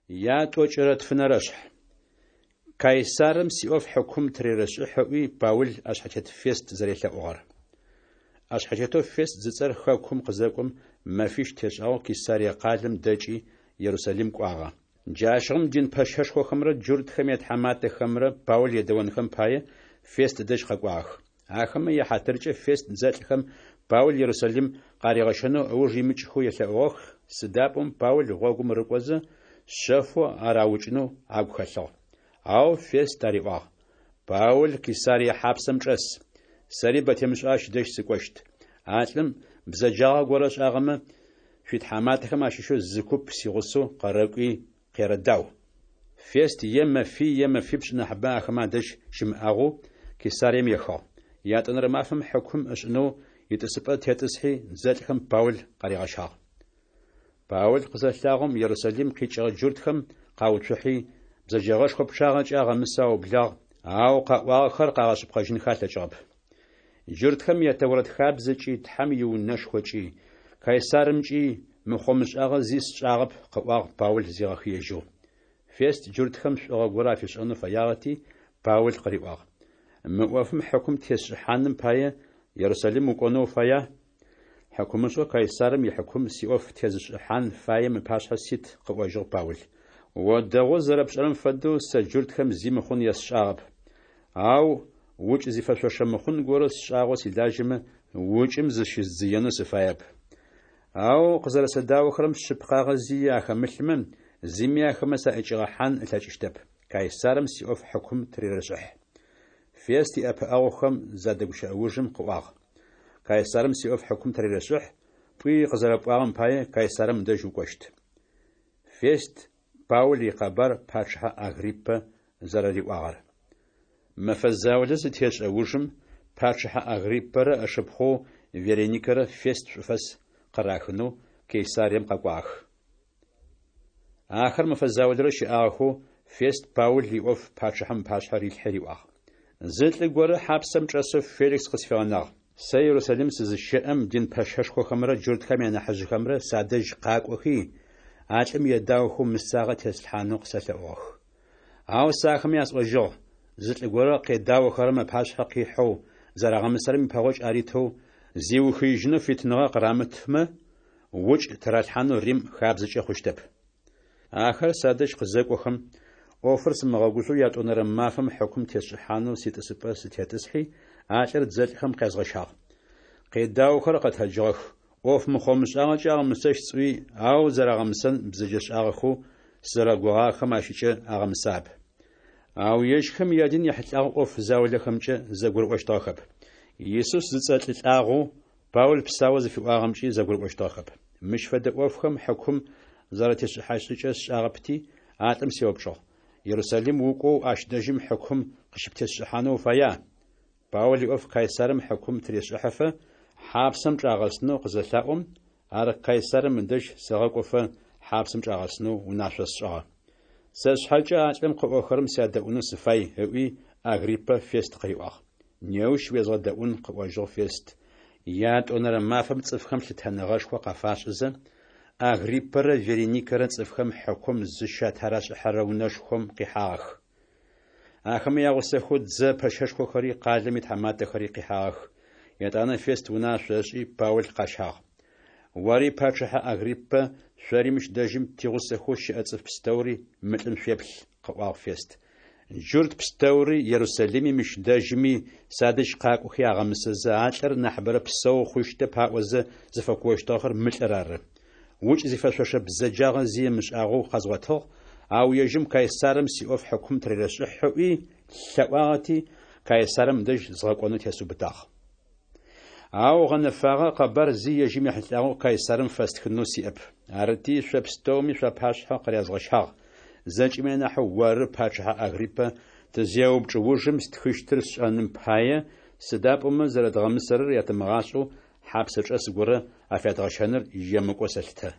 Ятӏокӏырэ тфынэрэшъхь. Кайсарым сиӏоф хьыкум тырерэшӏыхь ыӏуи, Паул ӏэшъхьэтет Фест зэрелъэӏугъэр. ӏэшъхьэтетэу Фест зыцӏэр хэкум къызэкӏом, мэфищ тешӏагъэу Кесарие къалэм дэкӏи, Ерусалим кӏуагъэ. Джащыгъум дин пэщэшхохэмрэ джуртхэм ятхьаматэхэмрэ Паул едэонхэм пае, Фест ыдэжь къэкӏуагъэх. Ахэмэ яхьатыркӏэ Фест дзэлӏхэм Паул Ерусалим къаригъэщэнэу ыуж имыкӏхэу елъэӏугъэх, сыда пӏомэ Паул гъогум рыкӏозэ, шъэфэу ар аукӏынэу агу хэлъыгъ. Ау Фест ариӏуагъ: Паул Кесарие хьапсэм чӏэс. Сэри бэ темышӏэу ащ дэжь сыкӏощт. А лӏым бзэджагъэ горэ ышӏагъэмэ, шъуитхьаматэхэм ащыщэу зы куп сигъусэу къэрэкӏуи къерэдау. Фест е мэфий е мэфипшӏ нахьыбэ ахэмэ адэжь щымыӏагъэу Кесарием ехыгъ. Ятӏонэрэ мафэм хьыкум ышӏынэу итӏысыпӏэ тетӏысхьи, дзэлӏхэм Паул къаригъэщагъ. Паул къызэлъагъом, Ерусалим къикӏыгъэ джуртхэм къауцухьи, бзэджэгъэшхо пчъагъэкӏэ агъэмысэу аублагъ, ау къаӏуагъэхэр къагъэшъыпкъэжьынхэ алъэкӏыгъэп. Джуртхэм я Тэурэт хабзэкӏи, Тхьэм иунэшхокӏи, Кайсарымкӏи мыхъо-мышӏагъэ зи сшӏагъэп, къыӏуагъ Паул зигъэхыежьэу. Фест джуртхэм шӏугъэ горэ афишӏэнэу фэягъэти, Паул къыриӏуагъ: Мы ӏофым хьыкум тесшӏыхьаным пае Ерусалим укӏонэу уфая? Хьыкумышӏэу Кайсарым ихьыкум сиӏоф тезышӏыхьан фаем ыпашъхьэ сит, къыӏожьыгъ Паул. О дэгъоу зэрэпшӏэрэм фэдэу, сэ джуртхэм зи мыхъун есшӏагъэп. Ау укӏ зифэшъошэ мыхъун горэ сшӏагъэу силажьэмэ, укӏым зыщыздзыенэу сыфаеп. Ау къызэрэсэдаохэрэм шъыпкъагъэ зи ахэмылъмэ, зыми ахэмэ саӏэкӏигъэхьан ылъэкӏыщтэп. Кайсарым сиӏоф хьыкум тырерэшӏыхь. Фест иӏэпыӏэгъухэм задэгущыӏэ ужым къыӏуагъ: Кайсарым сиӏоф хьыкум тырерэшӏыхь, пӏуи къызэрэпӏуагъэм пае Кайсарым ыдэжь укӏощт. Фест Паул икъэбар пачъыхьэ Агриппэ зэрэриӏуагъэр. Мэфэ заулэ зытешӏэ ужым, пачъыхьэ Агриппэрэ ышыпхъоу Вереникэрэ Фест шӏуфэс къырахынэу Кесарием къэкӏуагъэх. Ахэр мэфэ заулэрэ щыӏагъэхэу, Фест Паул иӏоф пачъыхьэм ыпашъхьэ рилъхьи риӏуагъ: Зы лӏы горэ хьапсэм чӏэсэу Феликс къысфигъэнагъ. Сэ Ерусалим сызыщэӏэм, дин пэщэшхохэмрэ джуртхэм янахьыжъхэмрэ садэжь къакӏохи, а лӏым едаохэу мысагъэ теслъхьанэу къысэлъэӏугъэх. Ау сэ ахэмэ ясӏожьыгъ: зы лӏы горэ къедаохэрэм ыпашъхьэ къихьэу, зэрагъэмысэрэм ипэгъокӏ аритэу, зиухыижьынэу фитыныгъэ къырамытмэ, укӏ тыралъхьанэу Рим хабзэкӏэ хъущтэп. Ахэр садэжь къызэкӏохэм, ӏофыр сымыгъэгужъоу ятӏонэрэ мафэм хьыкум тесшӏыхьанэу ситӏысыпӏэ сытетӏысхьи, а лӏыр дзэлӏхэм къязгъэщагъ. Къедаохэр къэтэджыгъэх, ӏоф мыхъо-мышӏагъэкӏэ агъэмысэщт сӏуи, ау зэрагъэмысэн бзэджэшӏагъэхэу сызэрэгугъагъэхэм ащыкӏэ агъэмысагъэп. Ау ежьхэм ядин ехьылӏагъэу ӏоф заулэхэмкӏэ зэгурыӏощтыгъэхэп. Исус зыцӏэ лӏы лӏагъэу Паул псаоу зыфиӏуагъэмкӏи зэгурыӏощтыгъэхэп. Мыщ фэдэ ӏофхэм хьыкум зэратешӏыхьащт шӏыкӏэр сшӏагъэпти, а лӏым сеупчӏыгъ: Ерусалим укӏоу ащ дэжьым хьыкум къыщыптесшӏыхьанэу уфая? Паул иӏоф Кайсарым хьыкум тырешӏыхьэфэ, хьапсэм чӏагъэсынэу къызэлъаӏом, ар Кайсарым ыдэжь сэгъэкӏофэ хьапсэм чӏагъэсынэу унашъо сшӏыгъэ. Сэ сшъхьэкӏэ а лӏым къыӏохэрэм сядэӏунэу сыфай, ыӏуи, Агриппэ Фест къыриӏуагъ. Неущ уезгъэдэӏун, къыӏожьыгъ Фест. Ятӏонэрэ мафэм цӏыфхэм лъытэныгъэшхо къафашӏызэ, Агриппэрэ Вереникэрэ цӏыфхэм хьыкум зыщатырашӏыхьэрэ унэшхом къихьагъэх. Ахэмэ ягъусэхэу дзэ пэщэшхохэри къалэм итхьаматэхэри къихьагъэх. Етӏанэ Фест унашъо ышӏи, Паул къащагъ. Ори, пачъыхьэ Агриппэ, шъори мыщ дэжьым тигъусэхэу щыӏэ цӏыф пстэури мы лӏым шъуеплъ, къыӏуагъ Фест. Джурт пстэури Ерусалими мыщ дэжьыми садэжь къакӏохи агъэмысэзэ, а лӏыр нахьыбэрэ псэу хъущтэп аӏозэ зыфэкуощтыгъэхэр мы лӏыр ары. Укӏ зифэшъошэ бзэджагъэ зи ымышӏагъэу къэзгъотыгъ, ау ежьым Кайсарым сиӏоф хьыкум тырерэшӏыхь ыӏуи лъэӏуагъэти, Кайсарым ыдэжь згъэкӏонэу тесыубытагъ. Ау гъэнэфагъэ къэбар зи ежьым ехьылӏагъэу Кайсарым фэстхынэу сиӏэп. Арыти, шъо пстэуми шъуапашъхьэ къырязгъэщагъ. Зэкӏэми анахьэу оры, пачъыхьэ Агриппэ, тызеупчӏ ужым стхыщтыр сшӏэным пае, сыда пӏомэ зэрэдгъэмысэрэр ятымыгъашӏэу хьапсэчӏэс горэ афядгъэщэныр емыкӏоу сэлъытэ.